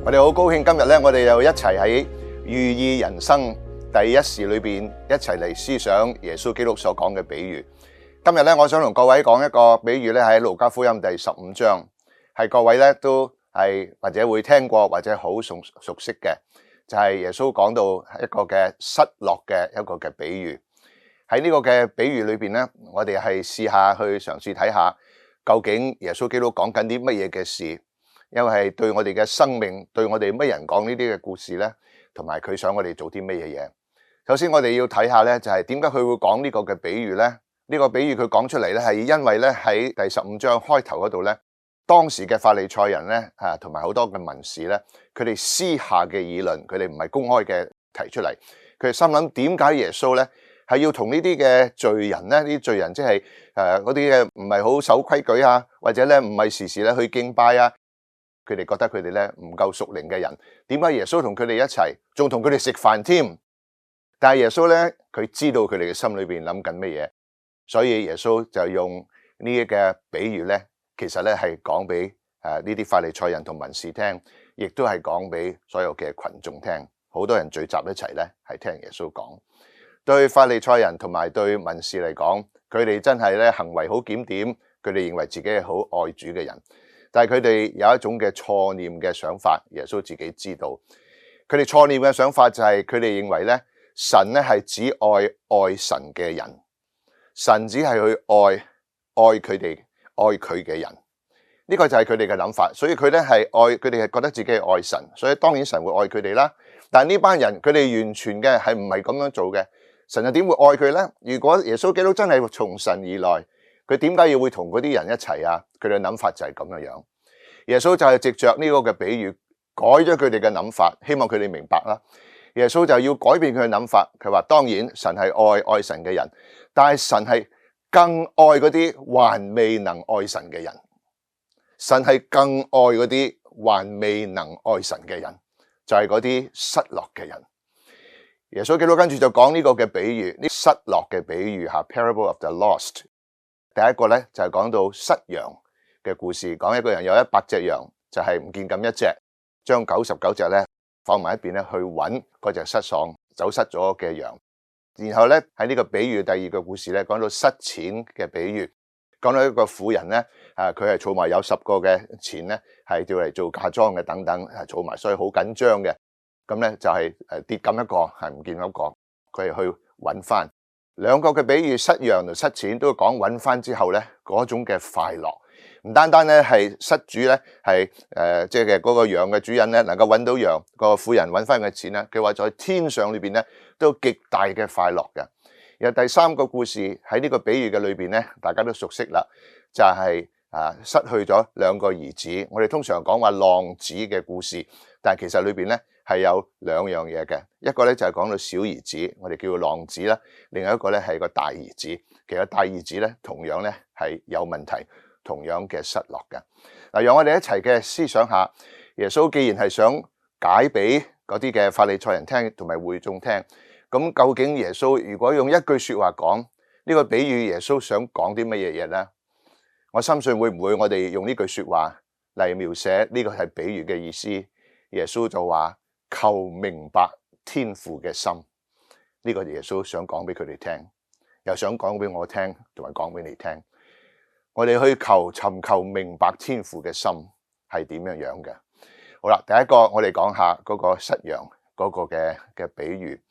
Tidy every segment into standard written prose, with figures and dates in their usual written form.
我哋好高興今日咧，我哋又一齊喺寓意人生第一時裏邊一齊嚟思想耶穌基督所講嘅比喻。今日咧，我想同各位講一個比喻咧，喺路加福音第15章，係各位咧都係或者會聽過或者好熟悉嘅，就係耶穌講到一個嘅失落嘅一個嘅比喻。喺呢個嘅比喻裏邊咧，我哋係試下去嘗試睇下，究竟耶穌基督講緊啲乜嘢嘅事。因為係對我哋嘅生命，對我哋乜人講呢啲嘅故事咧，同埋佢想我哋做啲乜嘢嘢。首先我哋要睇下咧，就係點解佢會講呢個嘅比喻咧？呢個比喻佢講出嚟咧，係因為咧喺第15章開頭嗰度咧，當時嘅法利賽人咧同埋好多嘅文士咧，佢哋私下嘅議論，佢哋唔係公開嘅提出嚟。佢哋心諗點解耶穌咧係要同呢啲嘅罪人咧？呢啲罪人即係嗰啲嘅唔係好守規矩啊，或者咧唔係時時咧去敬拜啊。佢哋覺得佢哋咧唔夠屬靈嘅人，點解耶穌同佢哋一齊，仲同佢哋食飯添？但係耶穌咧，佢知道佢哋嘅心裏邊諗緊乜嘢，所以耶穌就用呢啲嘅比喻咧，其實咧係講俾呢啲法利賽人同文士聽，亦都係講俾所有嘅群眾聽。好多人聚集一齊咧，係聽耶穌講。對法利賽人同埋對文士嚟講，佢哋真係咧行為好檢點，佢哋認為自己係好愛主嘅人。但係佢哋有一種嘅錯念嘅想法，耶穌自己知道。佢哋錯念嘅想法就係佢哋認為咧，神咧係只愛神嘅人，神只係去愛佢哋愛佢嘅人。呢個就係佢哋嘅諗法，所以佢咧係愛佢哋係覺得自己係愛神，所以當然神會愛佢哋啦。但係呢班人佢哋完全嘅係唔係咁樣做嘅，神又點會愛佢咧？如果耶穌基督真係從神而來，佢點解要會同嗰啲人一齊啊？佢哋嘅諗法就係咁樣樣。耶穌就係藉着呢個嘅比喻改咗佢哋嘅諗法，希望佢哋明白啦。耶穌就要改變佢嘅諗法，佢話當然神係愛神嘅人，但係神係更愛嗰啲還未能愛神嘅人。神係更愛嗰啲還未能愛神嘅人，就係嗰啲失落嘅人。耶穌基督跟住就講呢個嘅比喻，呢失落嘅比喻吓 ，Parable of the Lost。第一個咧就係講到失羊嘅故事，講一個人有100隻羊，就係唔見咁一隻，將99隻咧放埋一邊咧去揾嗰隻走失咗嘅羊。然後咧喺呢個比喻第二個故事咧，講到失錢嘅比喻，講到一個婦人咧，佢係儲埋有10個嘅錢咧，係叫嚟做嫁妝嘅等等，儲埋，所以好緊張嘅。咁咧就係跌咁一個，係唔見一個，佢係去揾翻。兩個嘅比喻，失羊同失錢，都講揾翻之後咧嗰種嘅快樂，唔單單咧係失主咧係即係嗰個羊嘅主人咧能夠揾到羊，個婦人揾翻嘅錢咧，佢話在天上裏邊咧都極大嘅快樂嘅。然後第三個故事喺呢個比喻嘅裏邊咧，大家都熟悉啦，就係失去咗2個兒子。我哋通常講話浪子嘅故事，但係其實裏邊咧係有2樣嘢嘅，一個咧就係講到小兒子，我哋叫浪子啦；另外一個咧係個大兒子。其實大兒子咧同樣咧係有問題，同樣嘅失落嘅。嗱，讓我哋一齊嘅思想下，耶穌既然係想解俾嗰啲嘅法利賽人聽，同埋會眾聽，咁究竟耶穌如果用一句說話講呢個比喻，耶穌想講啲乜嘢嘢咧？我深信會唔會我哋用呢句說話嚟描寫呢個係比喻嘅意思？耶穌就話求明白天父嘅心，呢個耶穌想講俾佢哋聽，又想講俾我聽，同埋講俾你聽。我哋去尋求明白天父嘅心係點樣樣嘅。好啦，第一個我哋講下嗰個失羊嗰個嘅比喻。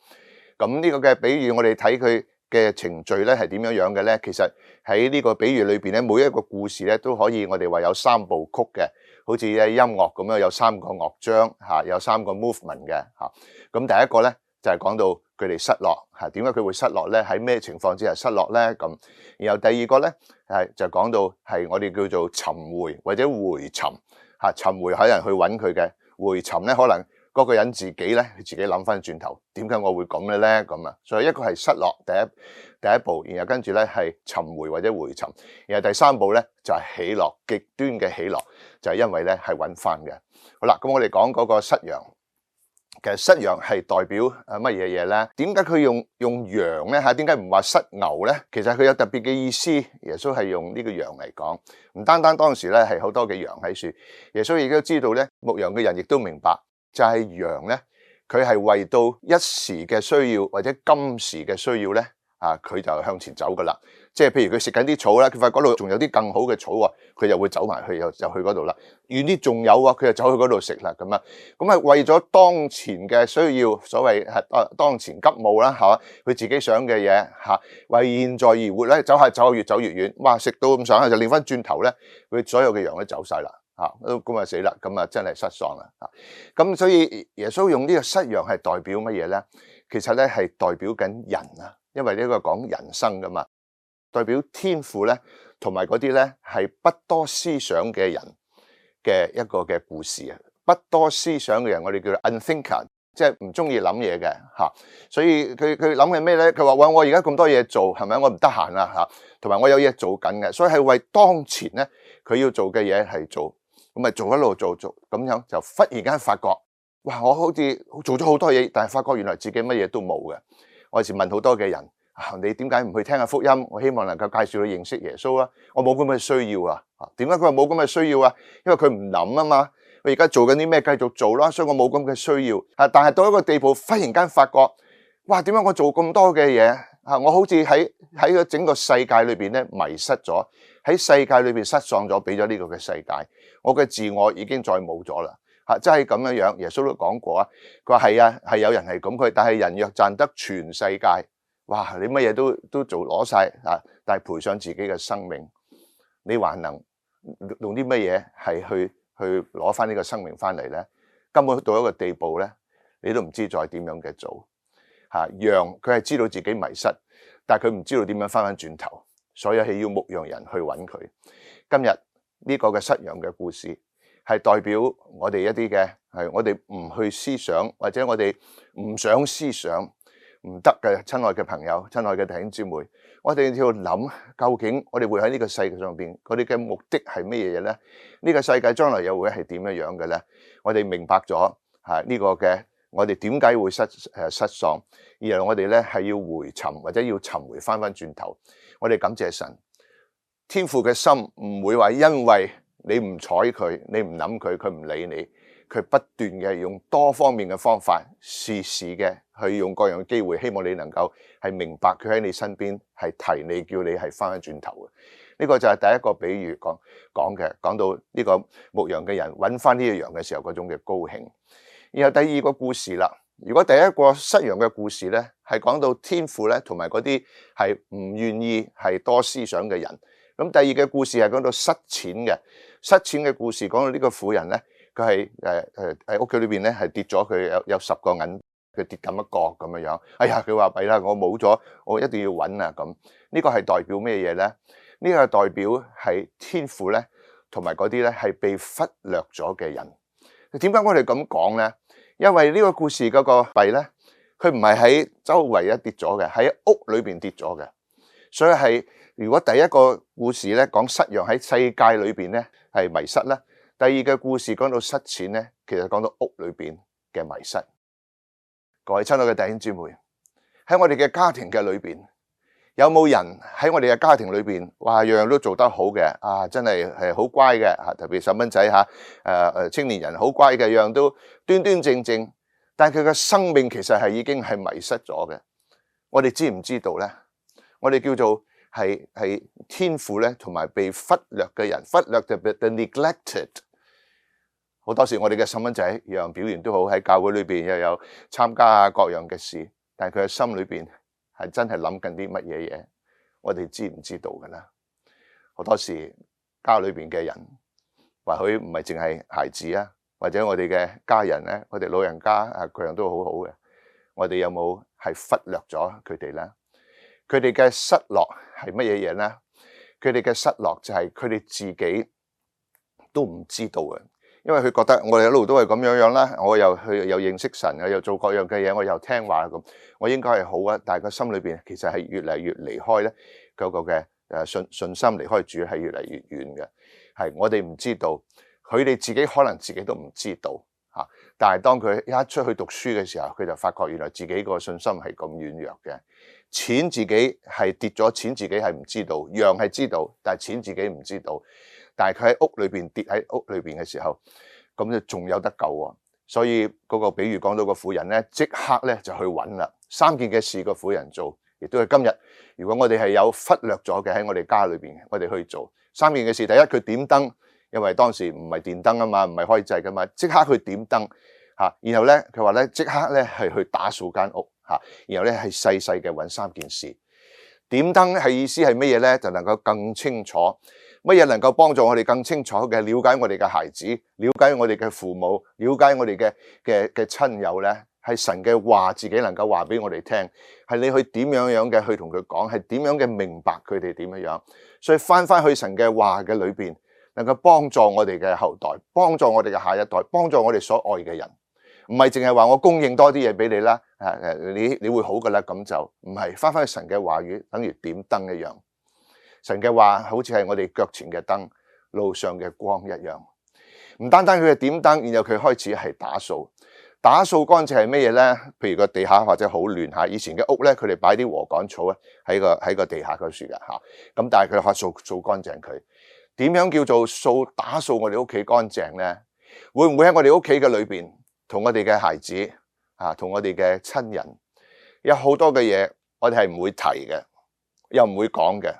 咁呢個嘅比喻，我哋睇佢嘅程序咧係點樣樣嘅咧？其實喺呢個比喻裏邊咧，每一個故事咧都可以我哋話有3部曲嘅，好似音樂咁樣有3個樂章嚇，有3個 movement 嘅嚇。咁第一個咧就係講到佢哋失落嚇，點解佢會失落咧？喺咩情況之下失落咧？咁然後第二個咧就講到係我哋叫做尋回或者回尋嚇，尋回可能去揾佢嘅，回尋咧可能嗰個人自己咧，佢自己諗翻轉頭，點解我會咁嘅咧？咁啊，所以一個係失落第一步，然後跟住咧係尋回或者回尋，然後第3步咧就係喜樂，極端嘅喜樂，就係因為咧係揾翻嘅。好啦，咁我哋講嗰個失羊，其實失羊係代表乜嘢嘢咧？點解佢用羊咧嚇？點解唔話失牛咧？其實佢有特別嘅意思。耶穌係用呢個羊嚟講，唔單單當時咧係好多嘅羊喺樹，耶穌亦都知道咧，牧羊嘅人亦都明白，就係羊咧，佢係為到一時嘅需要或者今時嘅需要咧，佢就向前走噶啦。即係譬如佢食緊啲草啦，佢發覺嗰度仲有啲更好嘅草喎，佢就會走埋去，就去嗰度啦。遠啲仲有喎，佢就走去嗰度食啦咁啊。咁係為咗當前嘅需要，所謂係當前急務啦，係嘛？佢自己想嘅嘢嚇，為現在而活咧，走下越走越遠。哇！食到咁上下就擰翻轉頭咧，佢所有嘅羊都走晒啦嚇，咁啊死啦，咁啊真係失喪啦嚇。咁所以耶穌用呢個失羊係代表乜嘢咧？其實咧係代表緊人啊，因為呢個講人生噶嘛。代表天父咧，同埋嗰啲咧係不多思想嘅人嘅一個嘅故事啊！不多思想嘅人，我哋叫做 unthinker， 即係唔中意諗嘢嘅嚇。所以佢諗嘅咩咧？佢話：喂，我而家咁多嘢做，係咪？我唔得閒啦嚇，同埋我有嘢做緊嘅，所以係為當前咧佢要做嘅嘢係做，咁咪做一路做咁樣，就忽然間發覺，哇！我好似做咗好多嘢，但係發覺原來自己乜嘢都冇嘅。我有時問好多嘅人。你點解唔去聽下福音？我希望能夠介紹你認識耶穌啊！我冇咁嘅需要啊！點解佢話冇咁嘅需要啊？因為佢唔諗啊嘛。我而家做緊啲咩繼續做啦，所以我冇咁嘅需要。但係到一個地步，忽然間發覺，哇！點解我做咁多嘅嘢？我好似喺個整個世界裏邊咧迷失咗，喺世界裏邊失喪咗，俾咗呢個嘅世界，我嘅自我已經再冇咗啦。真係咁樣樣。耶穌都講過啊，佢話係啊，係有人係咁佢，但係人若賺得全世界。哇！你乜嘢都做攞晒但係賠上自己嘅生命，你還能用啲乜嘢係去攞翻呢個生命翻嚟咧？根本到一個地步咧，你都唔知再點樣嘅做羊佢係知道自己迷失，但係佢唔知道點樣翻轉頭，所以係要牧羊人去揾佢。今日呢個嘅失羊嘅故事係代表我哋一啲嘅係我哋唔去思想，或者我哋唔想思想。唔得嘅，親愛嘅朋友，親愛嘅弟兄姊妹，我哋要諗究竟我哋會喺呢個世界上邊，我哋嘅目的係咩嘢咧？呢個世界將來又會係點樣樣嘅咧？我哋明白咗呢個嘅，我哋點解會失喪，而我哋咧係要回尋或者要尋回翻轉頭。我哋感謝神，天父嘅心唔會話因為你唔睬佢，你唔諗佢，佢唔理你。佢不斷嘅用多方面嘅方法，時時嘅去用各樣嘅機會，希望你能夠係明白佢喺你身邊，係提你叫你係翻轉頭嘅。呢個就係第一個比喻講到呢個牧羊嘅人揾翻呢個羊嘅時候嗰種嘅高興。然後第二個故事啦，如果第一個失羊嘅故事咧，係講到天父咧同埋嗰啲係唔願意係多思想嘅人。咁第二個故事係講到失錢嘅故事，講到呢個婦人咧。佢係喺屋企裏邊咧，係跌咗佢有10個銀，佢跌咁一個咁樣樣。哎呀，佢話弊啦，我冇咗，我一定要揾啊咁。呢個係代表咩嘢咧？呢個係代表係天父咧，同埋嗰啲咧係被忽略咗嘅人。點解我哋咁講咧？因為呢個故事嗰個弊咧，佢唔係喺周圍跌咗嘅，喺屋裏邊跌咗嘅。所以係如果第一個故事咧講失羊喺世界裏邊咧係迷失咧。第二個故事講到失錢咧，其實講到屋裏邊嘅迷失。各位親愛嘅弟兄姊妹，喺我哋嘅家庭嘅裏邊，有冇人喺我哋嘅家庭裏邊，哇，樣樣都做得好嘅真係好乖嘅特別細蚊仔青年人好乖嘅，樣樣都端端正正，但係佢嘅生命其實係已經係迷失咗嘅。我哋知唔知道咧？我哋叫做係天父咧，同埋被忽略嘅人，忽略就 the neglected。好多時我哋嘅細蚊仔樣表現都好，喺教會裏邊又有參加各樣嘅事，但係佢嘅心裏邊係真係諗緊啲乜嘢嘢？我哋知唔知道㗎啦？好多時家裏邊嘅人，或許唔係淨係孩子啊，或者我哋嘅家人咧，我哋老人家各樣都好好嘅，我哋有冇係忽略咗佢哋咧？佢哋嘅失落係乜嘢嘢咧？佢哋嘅失落就係佢哋自己都唔知道嘅。因為佢覺得我哋一路都係咁樣樣啦，我又認識神，我又做各樣嘅嘢，我又聽話咁，我應該係好啊。但係個心裏邊其實係越嚟越離開咧，嗰個嘅信心離開主係越嚟越遠嘅。係我哋唔知道，佢哋自己可能自己都唔知道。但係當佢一出去讀書嘅時候，佢就發覺原來自己個信心係咁軟弱嘅。錢自己係跌咗，錢自己係唔知道，羊係知道，但係錢自己唔知道。但係佢喺屋裏邊跌喺屋裏邊嘅時候，咁就仲有得救喎。所以嗰個比喻講到個婦人咧，即刻咧就去揾啦。3件嘅事個婦人做，亦都係今日。如果我哋係有忽略咗嘅喺我哋家裏邊，我哋去做3件嘅事。第一，佢點燈，因為當時唔係電燈啊嘛，唔係開掣噶嘛，即刻去點燈嚇。然後咧，佢話咧即刻咧係去打掃間屋嚇。然後咧係細細嘅揾3件事。點燈係意思係乜嘢咧？就能夠更清楚。乜嘢能夠幫助我哋更清楚嘅了解我哋嘅孩子，了解我哋嘅父母，了解我哋嘅親友咧？係神嘅話，自己能夠話俾我哋聽，係你去點樣嘅去同佢講，係點樣嘅明白佢哋點樣。所以翻去神嘅話嘅裏邊，能夠幫助我哋嘅後代，幫助我哋嘅下一代，幫助我哋所愛嘅人。唔係淨係話我供應多啲嘢俾你啦，你會好噶啦，咁就唔係。翻去神嘅話語，等於點燈一樣。神嘅話好似係我哋腳前嘅燈，路上嘅光一樣。唔單單佢係點燈，然後佢開始係打掃。打掃乾淨係咩嘢咧？譬如個地下或者好亂嚇，以前嘅屋咧，佢哋擺啲禾稈草咧喺個地下嗰處嘅嚇。咁但係佢可以掃乾淨佢。點樣叫做打掃我哋屋企乾淨咧？會唔會喺我哋屋企嘅裏邊，同我哋嘅孩子同我哋嘅親人，有好多嘅嘢，我哋係唔會提嘅，又唔會講嘅。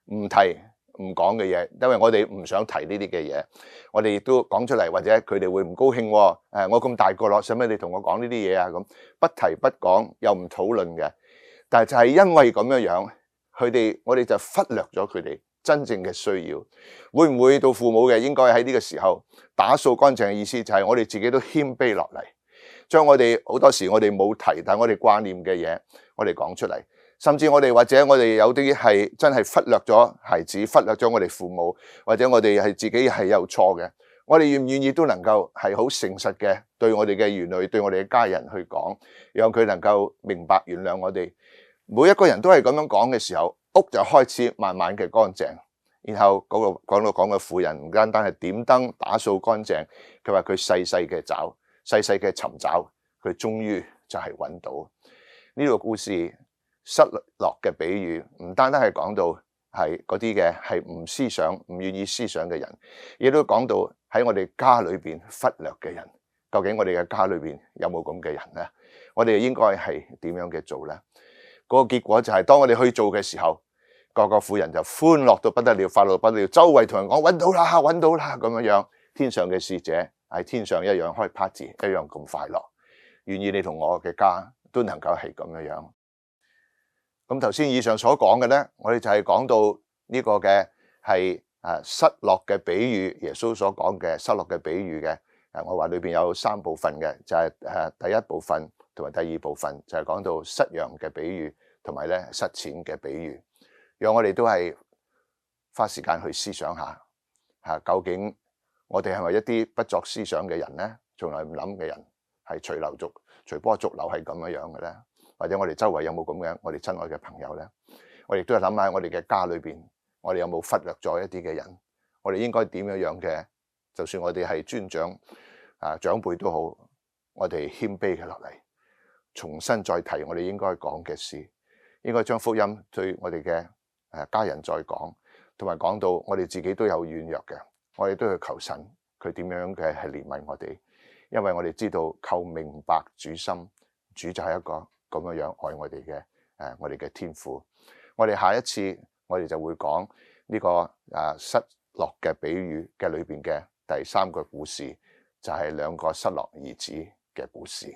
唔提唔講嘅嘢，因為我哋唔想提呢啲嘅嘢，我哋亦都講出嚟，或者佢哋會唔高興。我咁大個咯，使乜你同我講呢啲嘢啊？咁不提不講又唔討論嘅，但係就係因為咁樣，我哋就忽略咗佢哋真正嘅需要。會唔會到父母嘅應該喺呢個時候打掃乾淨嘅意思，就係我哋自己都謙卑落嚟，將我哋好多時我哋冇提，但係我哋掛念嘅嘢，我哋講出嚟。甚至我哋或者我哋有啲係真係忽略咗孩子，忽略咗我哋父母，或者我哋係自己係有錯嘅，我哋願唔願意都能夠係好誠實嘅對我哋嘅兒女，對我哋嘅家人去講，讓佢能夠明白原諒我哋。每一個人都係咁樣講嘅時候，屋就開始慢慢嘅乾淨。然後嗰個講嘅婦人唔單單係點燈打掃乾淨，佢話佢細細嘅找，細細嘅尋找，佢終於就係揾到。呢個故事失落嘅比喻，唔單單係講到係嗰啲嘅係唔思想、唔願意思想嘅人，亦都講到喺我哋家裏邊忽略嘅人。究竟我哋嘅家裏邊有冇咁嘅人咧？我哋應該係點樣嘅做咧？嗰個結果就係當我哋去做嘅時候，個婦人就歡樂到不得了，快樂到不得了，周圍同人講揾到啦，揾到啦咁樣。天上嘅使者喺天上一樣開 party， 一樣咁快樂。願意你同我嘅家都能夠係咁樣。咁頭先以上所講嘅咧，我哋就係講到呢個嘅係失落嘅比喻，耶穌所講嘅失落嘅比喻嘅。我話裏邊有3部分嘅，就係第一部分同埋第二部分，就係講到失羊嘅比喻，同埋咧失錢嘅比喻。讓我哋都係花時間去思想下究竟我哋係咪一啲不作思想嘅人咧？從來唔諗嘅人，係隨波逐流係咁樣嘅咧？或者我哋周圍有冇咁樣我哋親愛嘅朋友咧？我亦都係諗下我哋嘅家裏邊，我哋有冇忽略咗一啲嘅人？我哋應該點樣嘅？就算我哋係尊長長輩都好，我哋謙卑嘅落嚟，重新再提我哋應該講嘅事，應該將福音對我哋嘅家人再講，同埋講到我哋自己都有軟弱嘅，我哋都要求神佢點樣嘅係憐憫我哋，因為我哋知道求明白主心，主就係一個咁樣愛我哋嘅我哋嘅天父。我哋下一次我哋就會講呢個失落嘅比喻嘅裏邊嘅第3個故事，就係2個失落兒子嘅故事。